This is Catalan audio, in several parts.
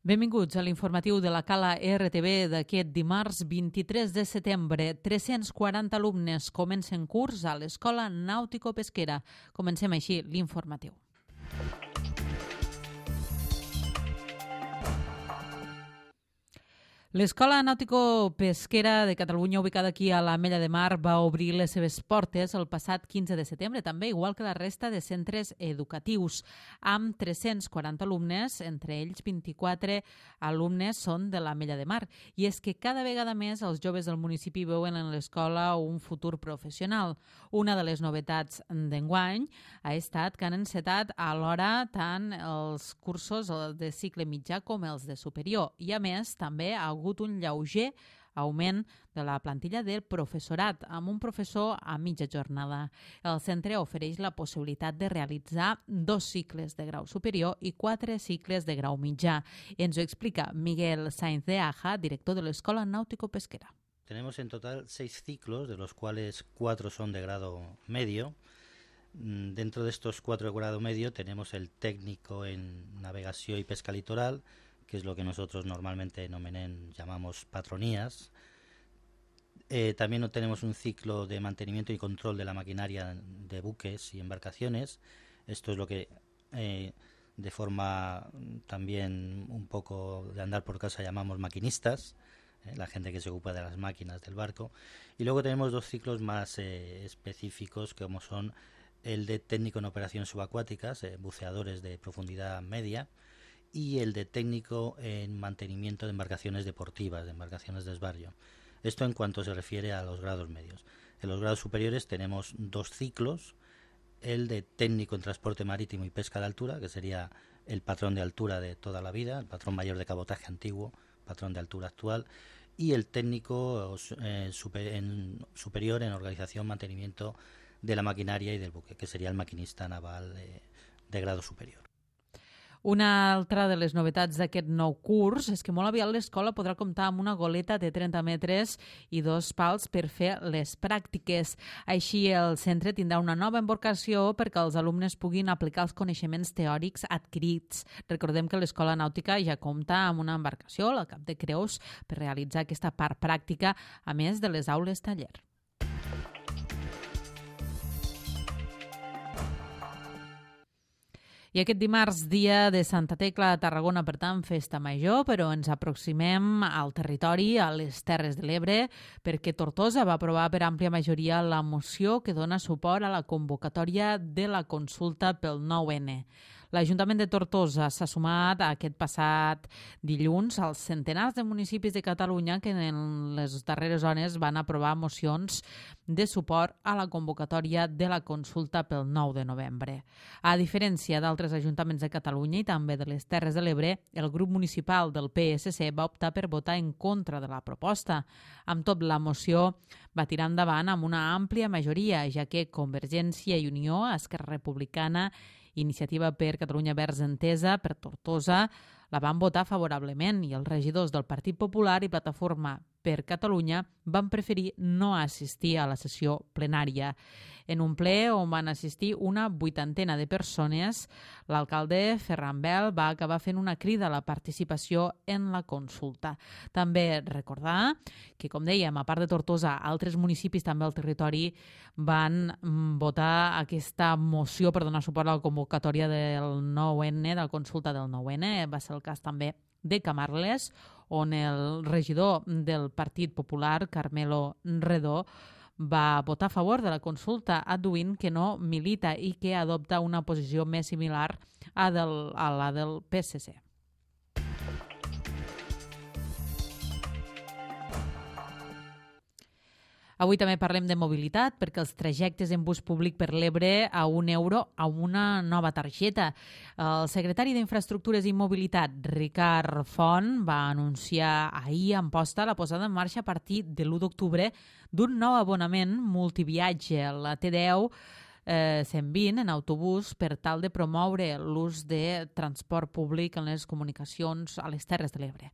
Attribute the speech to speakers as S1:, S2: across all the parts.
S1: Benvinguts a l'informatiu de la Cala RTV d'aquest dimarts 23 de setembre. 340 alumnes comencen curs a l'Escola Nàutico-Pesquera. Comencem així l'informatiu. L'Escola Nàutico-Pesquera de Catalunya, ubicada aquí a l'Ametlla de Mar, va obrir les seves portes el passat 15 de setembre, també igual que la resta de centres educatius, amb 340 alumnes, entre ells 24 alumnes són de l'Ametlla de Mar. I és que cada vegada més els joves del municipi veuen en l'escola un futur professional. Una de les novetats d'enguany ha estat que han encetat alhora tant els cursos de cicle mitjà com els de superior. I a més, també ha hagut un lleuger augment de la plantilla del professorat, amb un professor a mitja jornada. El centre ofereix la possibilitat de realitzar 2 cicles de grau superior i 4 cicles de grau mitjà. Ens ho explica Miguel Sainz de Aja, director de l'Escola Náutico-Pesquera.
S2: Tenemos en total 6 ciclos, de los cuales 4 son de grado medio. Dentro de estos 4 de grado medio tenemos el técnico en navegación y pesca litoral, que es lo que nosotros normalmente en Omenén llamamos patronías. También tenemos un ciclo de mantenimiento y control de la maquinaria de buques y embarcaciones. Esto es lo que de forma también un poco de andar por casa llamamos maquinistas, la gente que se ocupa de las máquinas del barco. Y luego tenemos 2 ciclos más específicos, como son el de técnico en operaciones subacuáticas, buceadores de profundidad media, y el de técnico en mantenimiento de embarcaciones deportivas, de embarcaciones de desbarrio. Esto en cuanto se refiere a los grados medios. En los grados superiores tenemos 2 ciclos, el de técnico en transporte marítimo y pesca de altura, que sería el patrón de altura de toda la vida, el patrón mayor de cabotaje antiguo, patrón de altura actual, y el técnico superior en organización, mantenimiento de la maquinaria y del buque, que sería el maquinista naval de grado superior.
S1: Una altra de les novetats d'aquest nou curs és que molt aviat l'escola podrà comptar amb una goleta de 30 metres i 2 pals per fer les pràctiques. Així, el centre tindrà una nova embarcació perquè els alumnes puguin aplicar els coneixements teòrics adquirits. Recordem que l'escola nàutica ja compta amb una embarcació, la Cap de Creus, per realitzar aquesta part pràctica, a més de les aules taller. I aquest dimarts, dia de Santa Tecla a Tarragona, per tant, festa major, però ens aproximem al territori, a les Terres de l'Ebre, perquè Tortosa va aprovar per àmplia majoria la moció que dona suport a la convocatòria de la consulta pel 9N. L'Ajuntament de Tortosa s'ha sumat aquest passat dilluns als centenars de municipis de Catalunya que en les darreres hores van aprovar mocions de suport a la convocatòria de la consulta pel 9 de novembre. A diferència d'altres ajuntaments de Catalunya i també de les Terres de l'Ebre, el grup municipal del PSC va optar per votar en contra de la proposta. Amb tot, la moció va tirar endavant amb una àmplia majoria, ja que Convergència i Unió, Esquerra Republicana, Iniciativa per Catalunya Verds Entesa, per Tortosa, la van votar favorablement i els regidors del Partit Popular i Plataforma per Catalunya van preferir no assistir a la sessió plenària. En un ple on van assistir una 80ena de persones, l'alcalde Ferran Bel va acabar fent una crida a la participació en la consulta. També recordar que, com dèiem, a part de Tortosa, altres municipis també al territori van votar aquesta moció per donar suport a la convocatòria del 9N, de la consulta del 9N. Va ser el cas també de Camarles, on el regidor del Partit Popular, Carmelo Redó, va votar a favor de la consulta, adduint que no milita i que adopta una posició més similar a la del PSC. Avui també parlem de mobilitat perquè els trajectes en bus públic per l'Ebre a €1 amb una nova targeta. El secretari d'Infraestructures i Mobilitat, Ricard Font, va anunciar ahir a Amposta la posada en marxa a partir de l'1 d'octubre d'un nou abonament multiviatge, la T10 120 en autobús, per tal de promoure l'ús de transport públic en les comunicacions a les Terres de l'Ebre.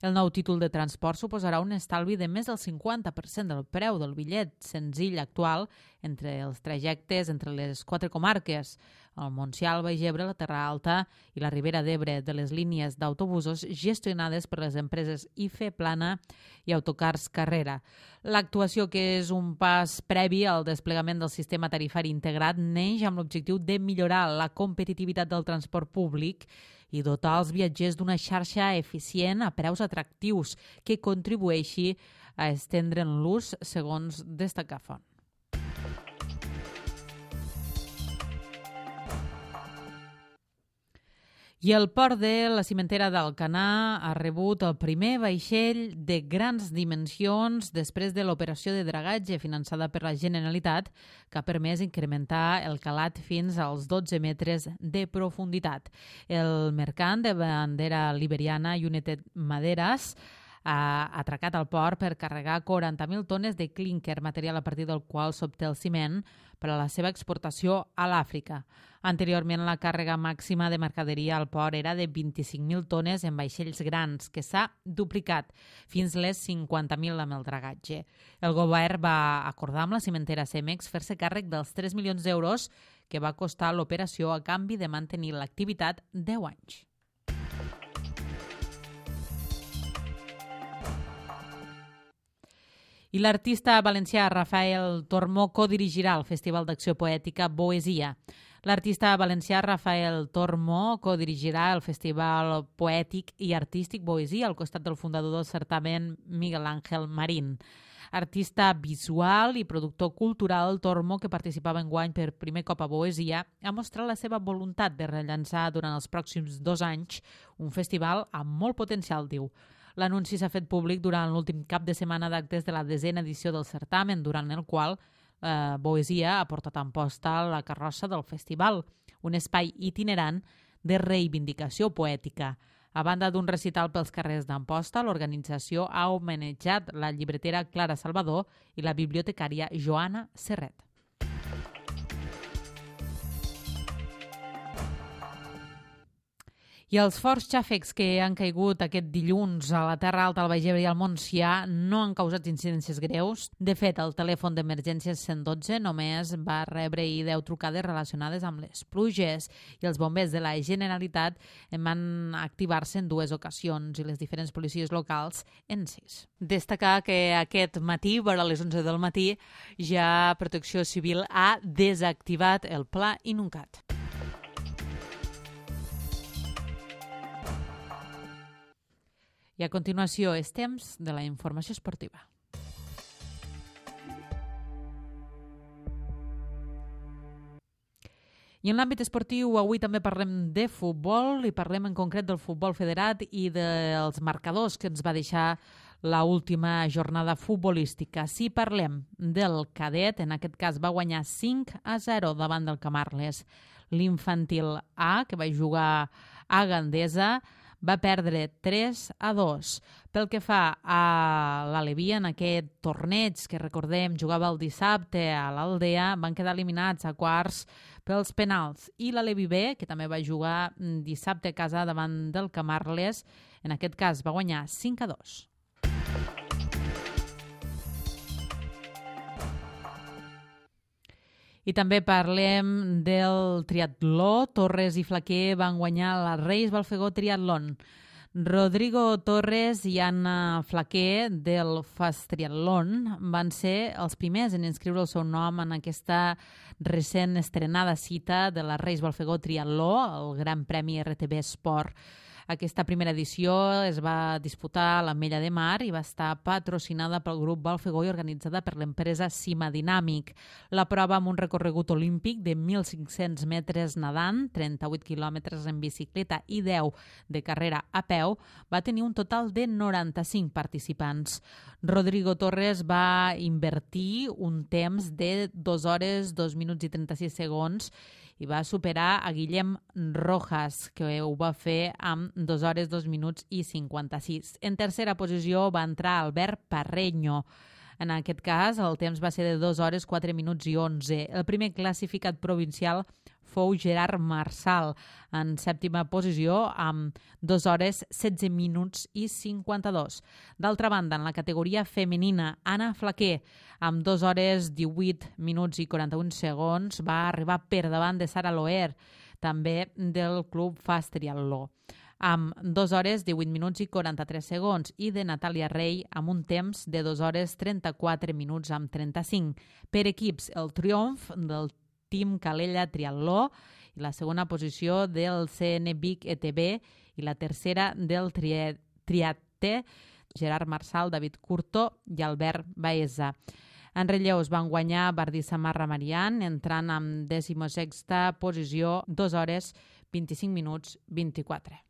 S1: El nou títol de transport suposarà un estalvi de més del 50% del preu del bitllet senzill actual entre els trajectes entre les 4 comarques, el Montsià, el Baix Ebre, la Terra Alta i la Ribera d'Ebre de les línies d'autobusos gestionades per les empreses IFE Plana i Autocars Carrera. L'actuació, que és un pas previ al desplegament del sistema tarifari integrat, neix amb l'objectiu de millorar la competitivitat del transport públic i dotar els viatgers d'una xarxa eficient a preus atractius que contribueixi a estendre'n l'ús, segons destaca Font. I el port de la cimentera d'Alcanar ha rebut el primer vaixell de grans dimensions després de l'operació de dragatge finançada per la Generalitat, que ha permès incrementar el calat fins als 12 metres de profunditat. El mercant de bandera liberiana United Maderas ha atracat al port per carregar 40.000 tones de clínquer, material a partir del qual s'obté el ciment per a la seva exportació a l'Àfrica. Anteriorment, la càrrega màxima de mercaderia al port era de 25.000 tones en vaixells grans, que s'ha duplicat fins les 50.000 amb el dragatge. El govern va acordar amb la cimentera Cemex fer-se càrrec dels 3 milions d'euros que va costar l'operació a canvi de mantenir l'activitat 10 anys. I l'artista valencià Rafael Tormó codirigirà el Festival d'Acció Poètica Boesia. L'artista valencià Rafael Tormó codirigirà el Festival Poètic i Artístic Boesia al costat del fundador del certamen, Miguel Ángel Marín. Artista visual i productor cultural, Tormó, que participava enguany per primer cop a Boesia, ha mostrat la seva voluntat de rellançar durant els pròxims 2 anys un festival amb molt potencial, diu. L'anunci s'ha fet públic durant l'últim cap de setmana d'actes de la 10a edició del certamen, durant el qual Boesia ha portat a Amposta la carrossa del festival, un espai itinerant de reivindicació poètica. A banda d'un recital pels carrers d'Amposta, l'organització ha homenatjat la llibretera Clara Salvador i la bibliotecària Joana Serret. I els forts xàfecs que han caigut aquest dilluns a la Terra Alta, al Baix Ebre i al Montsià no han causat incidències greus. De fet, el telèfon d'emergències 112 només va rebre 10 trucades relacionades amb les pluges i els bombers de la Generalitat van activar-se en 2 ocasions i les diferents policies locals en 6. Destacar que aquest matí, vora les 11 del matí, ja Protecció Civil ha desactivat el pla Inuncat. I a continuació és temps de la informació esportiva. I en l'àmbit esportiu avui també parlem de futbol i parlem en concret del futbol federat i dels marcadors que ens va deixar l'última jornada futbolística. Si parlem del cadet, en aquest cas va guanyar 5-0 davant del Camarles. L'infantil A, que va jugar a Gandesa, va perdre 3-2. Pel que fa a l'Aleví, en aquest torneig que recordem jugava el dissabte a l'Aldea, van quedar eliminats a quarts pels penals. I l'Aleví B, que també va jugar dissabte a casa davant del Camarles, en aquest cas va guanyar 5-2. I també parlem del triatló. Torres i Flaquer van guanyar la Reis Balfegó Triatlón. Rodrigo Torres i Anna Flaquer del Fast Triatlón van ser els primers en inscriure el seu nom en aquesta recent estrenada cita de la Reis Balfegó Triatló, el Gran Premi RTV Esport. Aquesta primera edició es va disputar a l'Ametlla de Mar i va estar patrocinada pel grup Balfegó i organitzada per l'empresa Cima Dinàmic. La prova, amb un recorregut olímpic de 1.500 metres nedant, 38 quilòmetres en bicicleta i 10 de carrera a peu, va tenir un total de 95 participants. Rodrigo Torres va invertir un temps de 2 hores, 2 minuts i 36 segons i va superar a Guillem Rojas, que ho va fer amb 2 hores, 2 minuts i 56. En tercera posició va entrar Albert Parreño. En aquest cas, el temps va ser de 2 hores, 4 minuts i 11. El primer classificat provincial fou Gerard Marçal, en sèptima posició amb 2 hores 16 minuts i 52. D'altra banda, en la categoria femenina, Anna Flaquer, amb 2 hores 18 minuts i 41 segons, va arribar per davant de Sara Loer, també del Club Fast Triatló, amb 2 hores 18 minuts i 43 segons, i de Natàlia Rey amb un temps de 2 hores 34 minuts amb 35. Per equips, el triomf del Team Calella Triatló i la segona posició del CN Vic ETB i la tercera del Triaté, Gerard Marçal, David Curto i Albert Baeza. En relleus van guanyar Bardí Samarra Marian, entrant amb 16a posició, 2 hores 25 minuts 24.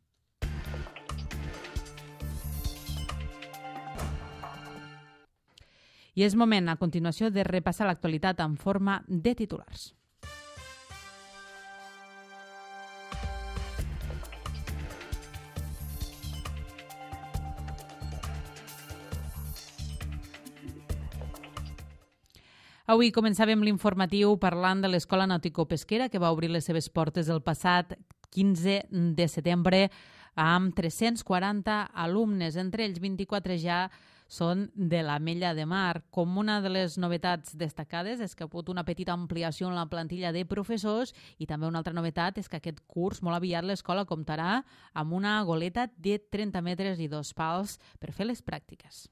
S1: I és moment, a continuació, de repassar l'actualitat en forma de titulars. Avui començàvem l'informatiu parlant de l'Escola Nàutico-Pesquera, que va obrir les seves portes el passat 15 de setembre amb 340 alumnes. Entre ells, 24 ja són de l'Ametlla de Mar. Com una de les novetats destacades és que ha hagut una petita ampliació en la plantilla de professors, i també una altra novetat és que aquest curs molt aviat l'escola comptarà amb una goleta de 30 metres i 2 pals per fer les pràctiques.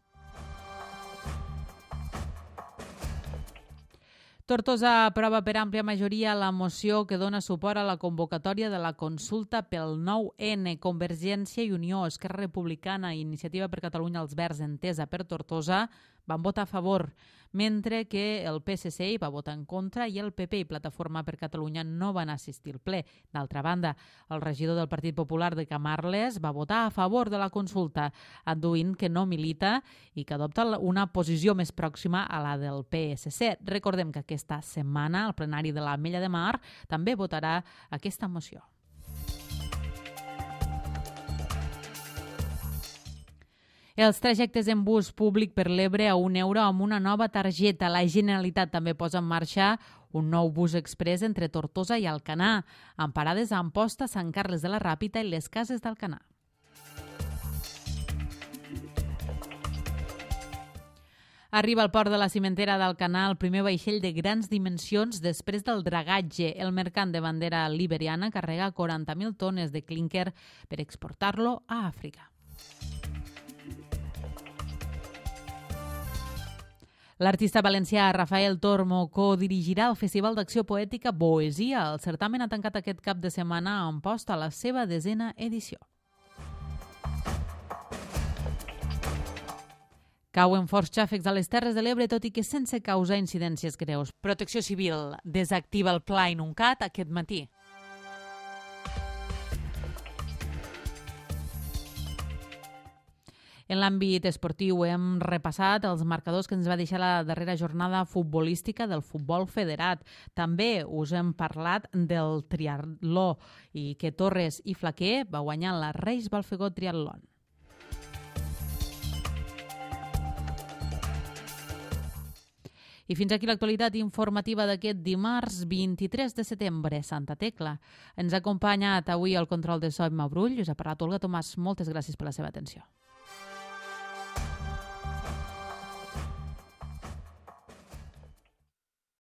S1: Tortosa aprova per àmplia majoria la moció que dona suport a la convocatòria de la consulta pel 9N. Convergència i Unió, Esquerra Republicana i Iniciativa per Catalunya Els Verds, Entesa per Tortosa, van votar a favor, mentre que el PSC hi va votar en contra i el PP i Plataforma per Catalunya no van assistir al ple. D'altra banda, el regidor del Partit Popular de Camarles va votar a favor de la consulta, adduint que no milita i que adopta una posició més pròxima a la del PSC. Recordem que aquesta setmana el plenari de l'Ametlla de Mar també votarà aquesta moció. Els trajectes en bus públic per l'Ebre a €1 amb una nova targeta. La Generalitat també posa en marxa un nou bus exprés entre Tortosa i Alcanar, amb parades a Amposta, Sant Carles de la Ràpita i les Cases d'Alcanar. Arriba al port de la cimentera d'Alcanar el primer vaixell de grans dimensions després del dragatge. El mercant de bandera liberiana carrega 40.000 tones de clínquer per exportar-lo a Àfrica. L'artista valencià Rafael Tormo codirigirà el Festival d'Acció Poètica Boesia. El certamen ha tancat aquest cap de setmana a Amposta la seva 10a edició. Cauen forts xàfecs a les Terres de l'Ebre, tot i que sense causar incidències greus. Protecció Civil desactiva el pla Inuncat aquest matí. En l'àmbit esportiu hem repassat els marcadors que ens va deixar la darrera jornada futbolística del futbol federat. També us hem parlat del triatló i que Torres i Flaquer va guanyar la Reis Balfegó Triatlón. I fins aquí l'actualitat informativa d'aquest dimarts 23 de setembre, Santa Tecla. Ens ha acompanyat avui el control de so Emma Brull, us ha parlat Olga Tomàs. Moltes gràcies per la seva atenció.